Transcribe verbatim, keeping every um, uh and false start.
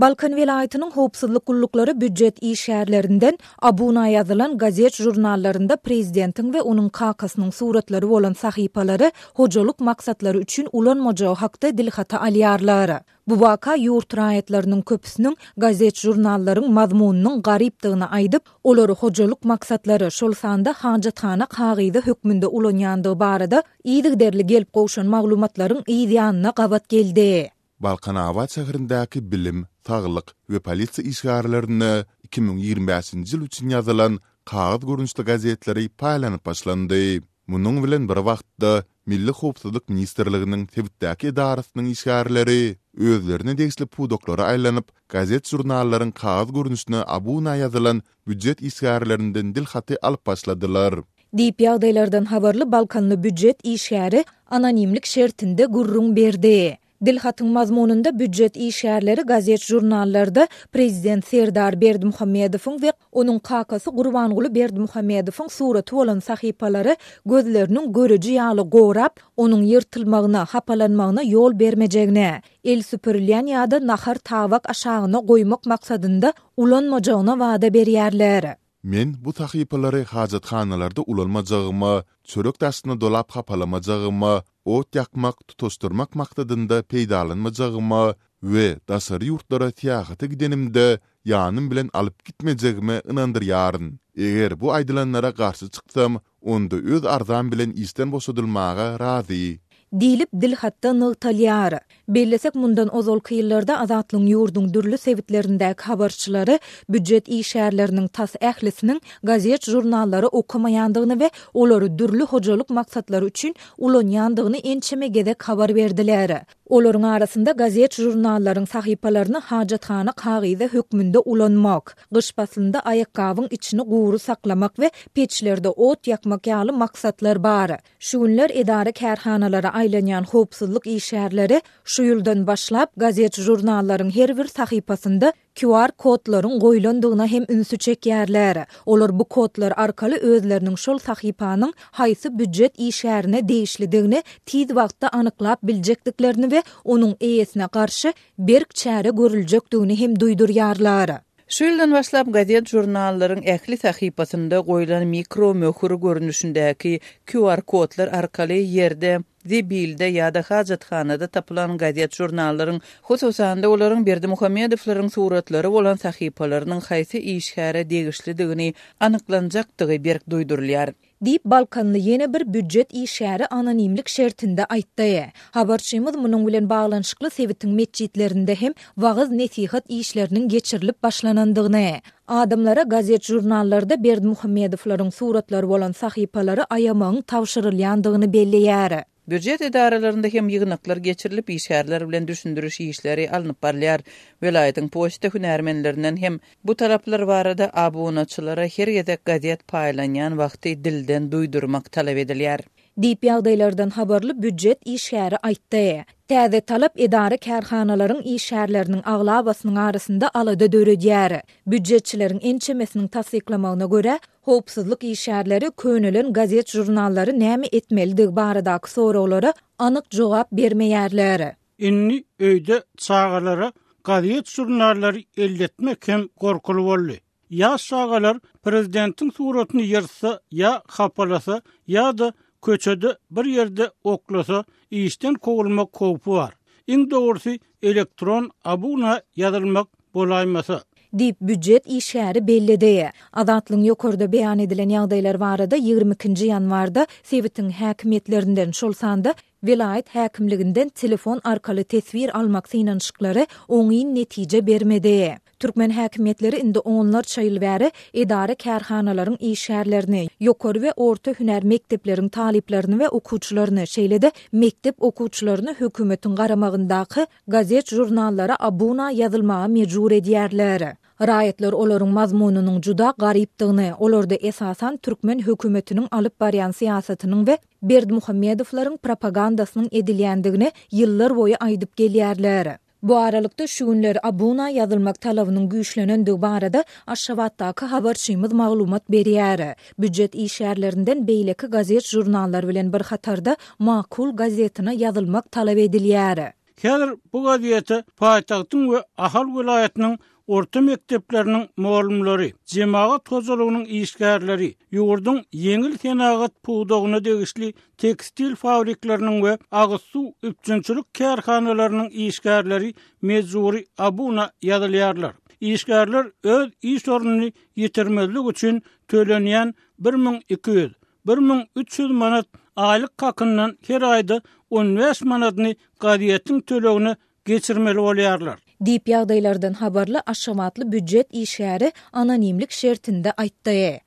Balkan welaýatynyň howpsuzlyk gulluklary býujet işgärlerinden abuna ýazylan gazet-žurnallarynda prezidentiň we onuň kakasynyň suratlary bolan sahypalary hojalyk maksatlary üçin ulanmajagy hakda dilhaty alýarlar. Bu waka ýurt raýatlarynyň köpüsiniň gazet-žurnallaryň mazmunynyň garypdygyny aýdyp, olary hojalyk maksatlary, şol sanda hajathana kagyzy hökmünde ulanýandygy barada yzygiderli gelip gowşan maglumatlaryň yz ýanyna gabat geldi. Balkanabat şäherindäki bilim, saglyk we polisiýa işgärlerine iki müň ýigrimi bäşinji ýyl üçin ýazylan kagyz görnüşli gazetleri paýlanyp başlandy. Munuň bilen bir wagtda, Milli howpsuzlyk ministrliginiň sebitdäki edarasynyň işgärleri özlerine degişli pudaklara aýlanyp, gazet-žurnallaryň kagyz görnüşine abuna ýazylan býujet işgärlerinden dil haty alyp başladylar. Diýip, ýagdaýlardan habarly balkanly býujet işgäri anonimlik şertinde gürrüň berdi. Dilhatyň mazmunynda býujet işgärleri gazet-žurnallarda prezident Serdar Berdimuhamedowyň we onuň kakasy Gurbanguly Berdimuhamedowyň suraty bolan sahypalary gözleriniň göreji ýaly gorap, onuň ýyrtylmagyna, hapalanmagyna ýol bermejegine, el süpürilýän ýa-da nahar tabak aşagyna goýmak maksadynda ulanmajagyna wada berýärler. Men bu sahypalary hajathanalarda ulanmajagyma, çörek daşyna dolap hapalamajagymma, ot ýakmak, tutaşdyrmak maksadynda peýdalanmajagyma we daşary ýurtlara syýahata gidenimde ýanym bilen alyp gitmejegime ynandyrýaryn. Eger bu aýdylanlara garşy çyksam, onda öz arzam bilen işden boşadylmaga razy. Diýlip, dilhatda nygtalýar. Bellesek, mundan ozalky ýyllarda Azatlygyň ýurduň dürli sebitlerindäki habarçylary býujet işgärleriniň tas ählisiniň gazet-žurnallary okamaýandygyny we olary dürli hojalyk maksatlary üçin ulanýandygyny ençeme gezek habar berdiler. Olaryň arasynda gazet-žurnallaryň sahypalaryny hajathana kagyzy hökmünde ulanmak, gyş paslynda aýakgabyň içini gury saklamak we peçlerde ot ýakmak ýaly maksatlar bar. Şu günler edara-kärhanalara aýlanýan howpsuzlyk işgärleri şu ýyldan başlap gazet-žurnallaryň her bir sahypasynda Q R kodlaryň goýlandygyna hem ünsi çekýärler. Olar bu kodlar arkaly özleriniň şol sahypanyň haýsy býujet işgärine degişlidigini tiz wagtda anyklap biljekdiklerini we onuň eýesine garşy berk çäre görüljekdigini hem duýdurýarlar. Şu ýyldan başlap gazet-žurnallaryň ähli sahypasynda goýlan mikro möhür görnüşindäki Q R kodlar arkaly ýerde, zebilde ýa-da hajathanada tapylan gazet-žurnallaryň, hususan-da olaryň Berdimuhamedowlaryň suratlary bolan sahypalarynyň haýsy işgäre degişlidigini anyklanjakdygy berk duýdurylýar. Diýip, Balkanly ýene bir býujet işgäri anonimlik şertinde aýtdy. Habarçymyz munuň bilen baglanyşykly sebitiň metjitlerinde hem wagyz-nesihat işleriniň geçirilip başlanandygyny, adamlara gazet-žurnallarda Berdimuhamedowlaryň suratlary bolan sahypalary aýamagyň tabşyrylýandygyny belleýär. Býujet edaralarynda hem ýygnaklar geçirilip, işgärler bilen düşündiriş işleri alnyp barylýar. Welaýatyň poçta hünärmenlerinden hem bu talaplar barada abunaçylara her gezek gazet paýlanýan wagty dilden duýdurmak talap edilýär. Diýip, ýagdaýlardan habarly býujet işgäri aýtdy. Täze talap edara kärhanalaryň işgärleriniň aglabasynyň arasynda alada döredýär. Býujetçileriň ençemesiniň tassyklamagyna görä, howpsuzlyk işgärleri könelen gazet-žurnallary näme etmelidigi baradaky soraglara anyk jogap bermeýärler. Indi öýde çagalara gazet-žurnallary elletmek hem gorkuly boldy. Ýaş çagalar prezidentiň suratyny ýyrtsa ýa hapalasa ýa-da köçede bir ýerde oklasa işden kowulmak howpy bar. Iň dogrusy elektron abuna ýazylmak bolaýmasa. Diýip, býujet işgäri belledi. Azatlygyň ýokarda beýan edilen ýagdaýlar barada ýigrimi ikinji ýanwarda sebitiň häkimiýetlerinden, şol sanda welaýat häkimliginden telefon arkaly teswir almak synanyşyklary oňyn netije bermedi. Türkmen häkimiýetleri indi onlarça ýyl bäri edara-kärhanalaryň işgärlerini, ýokary we orta hünär mekdepleriň talyplaryny we okuwçylaryny, şeýle-de mekdep okuwçylaryny hökümetiň garamagyndaky gazet-žurnallara abuna ýazylmaga mejbur edýärler. Raýatlar olaryň mazmunynyň juda garypdygyny, olarda esasan türkmen hökümetiniň alyp barýan syýasatynyň we Berdimuhamedowlaryň propagandasynyň edilýändigini ýyllar boýy aýdyp gelýärler. Bu aralykda şu günler abuna ýazylmak talabynyň güýçlenendigi barada Aşgabatdaky habarçymyz maglumat berýär. Býujet işgärlerinden beýleki gazet-žurnallar bilen bir hatarda Makul gazetine ýazylmak talap edilýär. Häzir bu gazete paýtagtyň we Ahal welaýatynyň orta mekdepleriniň mugallymlary, jemagat hojalygynyň işgärleri, ýurduň ýeňil senagat pudagyna degişli tekstil fabrikleriniň we agyz suw üpjünçilik kärhanalarynyň işgärleri mejbury abuna ýazylýarlar. Işgärler öz iş ornuny ýitirmezlik üçin tölenýän bir müň iki ýüz, bir müň üç ýüz manat aýlyk hakyndan her aýda on bäş manadyny gazetiň tölegine geçirmeli bolýarlar. Diýip, ýagdaýlardan habarly aşgabatly býujet işgäri anonimlik şertinde aýtdy.